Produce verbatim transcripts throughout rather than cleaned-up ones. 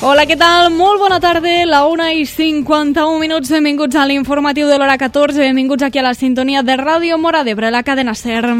Hola, què tal? Molt bona tarda, la una i cinquanta-un minuts, benvinguts a l'informatiu de l'hora catorze, benvinguts aquí a la sintonia de Ràdio Móra d'Ebre, la cadena SER.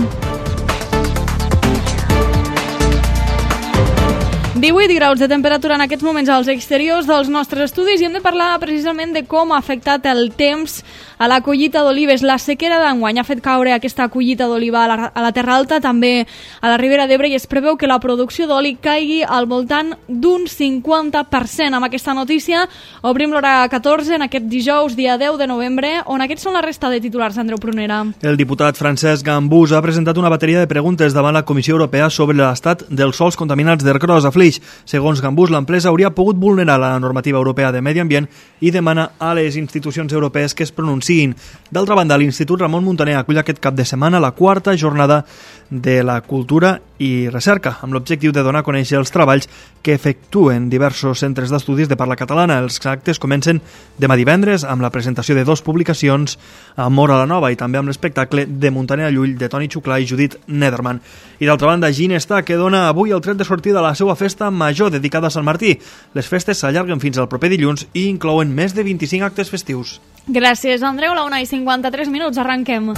divuit graus de temperatura en aquests moments als exteriors dels nostres estudis i hem de parlar precisament de com ha afectat el temps a la collita d'olives. La sequera d'enguany ha fet caure aquesta collita d'oliva a, la, a la Terra Alta, també a la Ribera d'Ebre, i es preveu que la producció d'oli caigui al voltant d'un cinquanta per cent. Amb aquesta notícia obrim l'hora catorze en aquest dijous, dia deu de novembre, on aquests són la resta de titulars, Andreu Prunera. El diputat Francesc Gambús ha presentat una bateria de preguntes davant la Comissió Europea sobre l'estat dels sòls contaminats d'Ercros a Flix. Segons Gambús, l'empresa hauria pogut vulnerar la normativa europea de medi ambient i demana a les institucions europees que es pronunciïn. D'altra banda, l'Institut Ramon Muntaner acull aquest cap de setmana la quarta jornada de la cultura i recerca, amb l'objectiu de donar a conèixer els treballs que efectuen diversos centres d'estudis de parla catalana. Els actes comencen demà divendres amb la presentació de dues publicacions a Móra la Nova i també amb l'espectacle de Muntaner a Llull de Toni Xuclà i Judit Nederman. I d'altra banda, Ginestà, que dona avui el tret de sortida a la seva festa major dedicada a Sant Martí. Les festes s'allarguen fins al proper dilluns i inclouen més de vint-i-cinc actes festius. Gràcies, Andreu. La una i cinquanta-tres minuts, arranquem.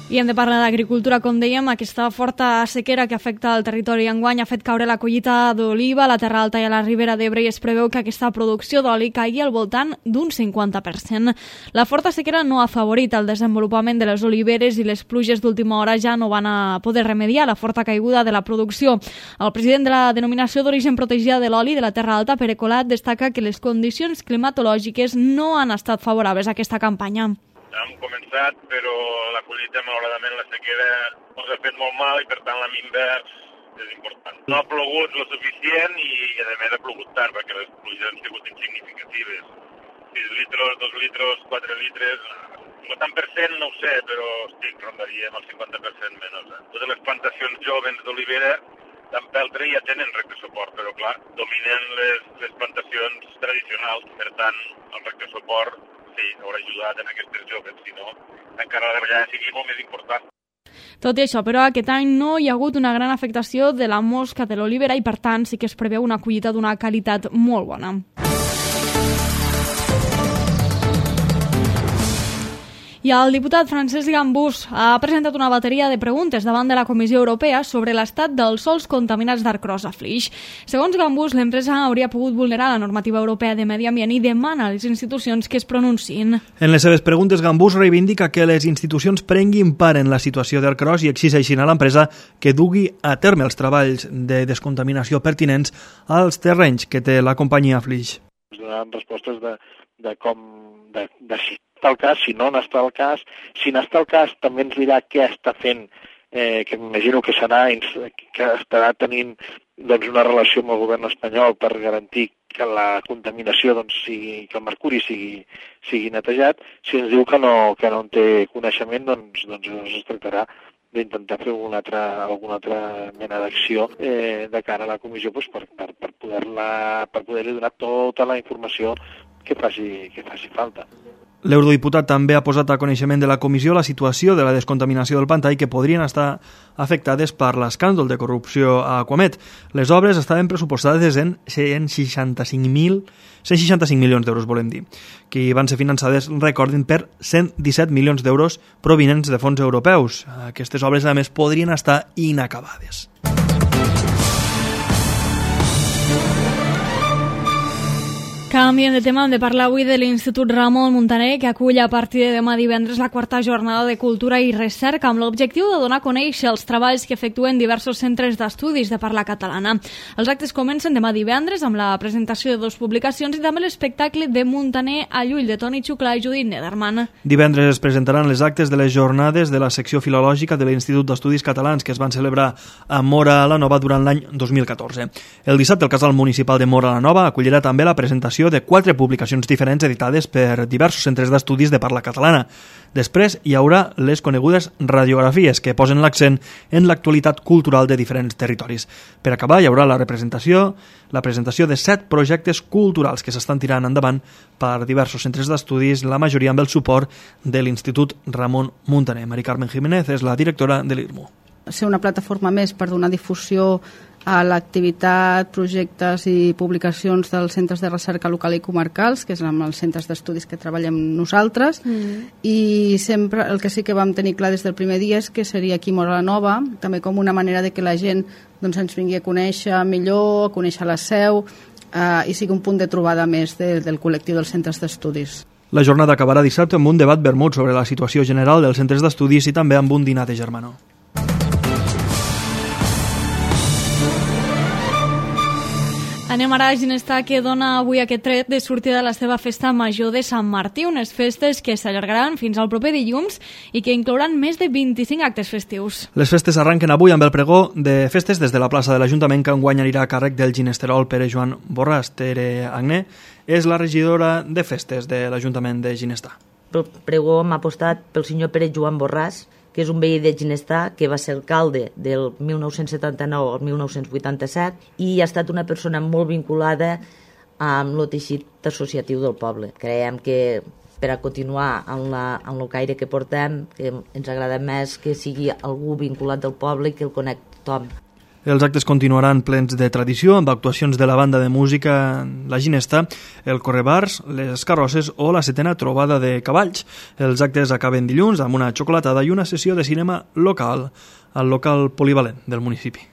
I hem de parlar d'agricultura, com dèiem. Aquesta forta sequera que afecta el territori enguany ha fet caure la collita d'oliva a la Terra Alta i a la Ribera d'Ebre i es preveu que aquesta producció d'oli caigui al voltant d'un cinquanta per cent. La forta sequera no ha afavorit el desenvolupament de les oliveres i les pluges d'última hora ja no van a poder remediar la forta caiguda de la producció. El president de la denominació d'origen protegida de l'oli de la Terra Alta, Pere Colat, destaca que les condicions climatològiques no han estat favorables a aquesta campanya. Hem començat, però la collita, malauradament, la sequera ens ha fet molt mal i, per tant, la minva és important. No ha plogut lo suficient i, a més, ha plogut tard, perquè les pluges han sigut insignificatives. sis litres, dos litres, quatre litres... El tant per cent no ho sé, però estic, rondaríem el cinquanta per cent menys. Eh? Totes les plantacions joves d'olivera d'empeltre ja tenen rec de suport, però, clar, dominen les, les plantacions tradicionals. Per tant, el rec de suport sí, haurà ajudat en aquestes joves, si no, encara la davallada sigui molt més important. Tot i això, però, aquest any no hi ha hagut una gran afectació de la mosca de l'olivera i, per tant, sí que es preveu una collita d'una qualitat molt bona. I el diputat Francesc Gambús ha presentat una bateria de preguntes davant de la Comissió Europea sobre l'estat dels sòls contaminats d'Ercros a Flix. Segons Gambús, l'empresa hauria pogut vulnerar la normativa europea de medi ambient i demana a les institucions que es pronunciïn. En les seves preguntes, Gambús reivindica que les institucions prenguin part en la situació d'Ercros i exigeixin a l'empresa que dugui a terme els treballs de descontaminació pertinents als terrenys que té la companyia Flix. Donaran respostes de, de com... de, de si està el cas, si no n'està el cas. Si n'està el cas, també ens dirà què està fent, eh, que m'imagino que serà, que estarà tenint doncs, una relació amb el govern espanyol per garantir que la contaminació, doncs, sigui, que el mercuri sigui, sigui netejat. Si ens diu que no, que no en té coneixement, doncs, doncs es tractarà d'intentar fer alguna altra, alguna altra mena d'acció eh, de cara a la comissió doncs, per, per, per poder-la, per poder-li donar tota la informació que faci, que faci falta. L'eurodiputat també ha posat a coneixement de la comissió la situació de la descontaminació del pantà i que podrien estar afectades per l'escàndol de corrupció a Aquamet. Les obres estaven pressupostades en cent seixanta-cinc mil cent seixanta-cinc milions d'euros, volem dir, que van ser finançades, recordin, per cent disset milions d'euros provinents de fons europeus. Aquestes obres, a més, podrien estar inacabades. Canviem de tema, hem de parlar avui de l'Institut Ramon Muntaner, que acull a partir de demà divendres la quarta jornada de cultura i recerca amb l'objectiu de donar a conèixer els treballs que efectuen diversos centres d'estudis de parla catalana. Els actes comencen demà divendres amb la presentació de dues publicacions i també l'espectacle de Muntaner a Llull de Toni Xuclà i Judit Nederman. Divendres es presentaran les actes de les jornades de la secció filològica de l'Institut d'Estudis Catalans que es van celebrar a Móra la Nova durant l'any dos mil catorze. El dissabte el Casal Municipal de Móra la Nova acollirà també la presentació de quatre publicacions diferents editades per diversos centres d'estudis de parla catalana. Després hi haurà les conegudes radiografies que posen l'accent en l'actualitat cultural de diferents territoris. Per acabar hi haurà la representació, la presentació de set projectes culturals que s'estan tirant endavant per diversos centres d'estudis, la majoria amb el suport de l'Institut Ramon Muntaner. Mari Carmen Jiménez és la directora de l'I R M U. ser una plataforma més per donar difusió a l'activitat, projectes i publicacions dels centres de recerca local i comarcals, que és amb els centres d'estudis que treballem nosaltres, mm. i sempre el que sí que vam tenir clar des del primer dia és que seria aquí Móra la Nova, també com una manera de que la gent doncs, ens vingui a conèixer millor, a conèixer la seu, eh, i sigui un punt de trobada més de, del col·lectiu dels centres d'estudis. La jornada acabarà dissabte amb un debat vermut sobre la situació general dels centres d'estudis i també amb un dinar de germanor. Anem ara a Ginestar, que dona avui aquest tret de sortida de la seva festa major de Sant Martí, unes festes que s'allargaran fins al proper dilluns i que inclouran més de vint-i-cinc actes festius. Les festes arranquen avui amb el pregó de festes des de la plaça de l'Ajuntament, que enguany anirà a càrrec del ginesterol Pere Joan Borràs. Tere Agné és la regidora de festes de l'Ajuntament de Ginestar. Pel pregó hem apostat pel senyor Pere Joan Borràs, que és un veí de Ginestar, que va ser alcalde del mil nou-cents setanta-nou al mil nou-cents vuitanta-set i ha estat una persona molt vinculada amb el teixit associatiu del poble. Creiem que per a continuar amb, la, amb el caire que portem, que ens agrada més que sigui algú vinculat del poble i que el conec tothom. Els actes continuaran plens de tradició, amb actuacions de la banda de música La Ginesta, el Correbars, les carrosses o la setena trobada de cavalls. Els actes acaben dilluns amb una xocolatada i una sessió de cinema local al local polivalent del municipi.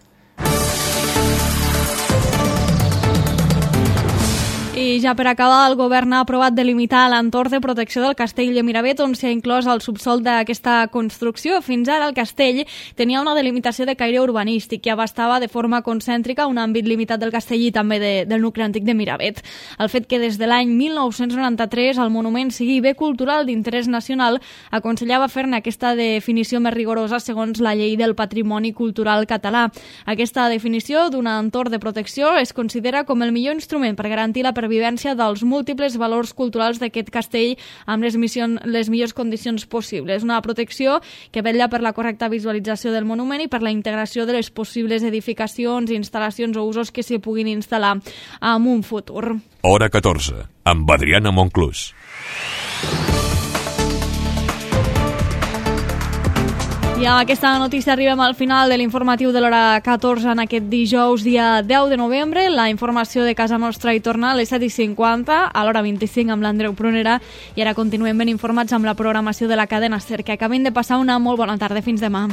I ja per acabar, el govern ha aprovat delimitar l'entorn de protecció del castell de Miravet, on s'ha inclòs el subsòl d'aquesta construcció. Fins ara el castell tenia una delimitació de caire urbanístic que abastava de forma concèntrica un àmbit limitat del castell i també de, del nucli antic de Miravet. El fet que des de l'any mil nou-cents noranta-tres el monument sigui bé cultural d'interès nacional aconsellava fer-ne aquesta definició més rigorosa segons la llei del patrimoni cultural català. Aquesta definició d'un entorn de protecció es considera com el millor instrument per garantir la pervivència dels múltiples valors culturals d'aquest castell amb les, missions, les millors condicions possibles. Una protecció que vetlla per la correcta visualització del monument i per la integració de les possibles edificacions, instal·lacions o usos que s'hi puguin instal·lar en un futur. Hora catorze, amb Adriana Monclús. I amb aquesta notícia arribem al final de l'informatiu de l'hora catorze en aquest dijous, dia deu de novembre. La informació de casa nostra hi torna a les set i cinquanta, a l'hora vint-i-cinc amb l'Andreu Prunera, i ara continuem ben informats amb la programació de la cadena SER. Que acabin de passar una molt bona tarda. Fins demà.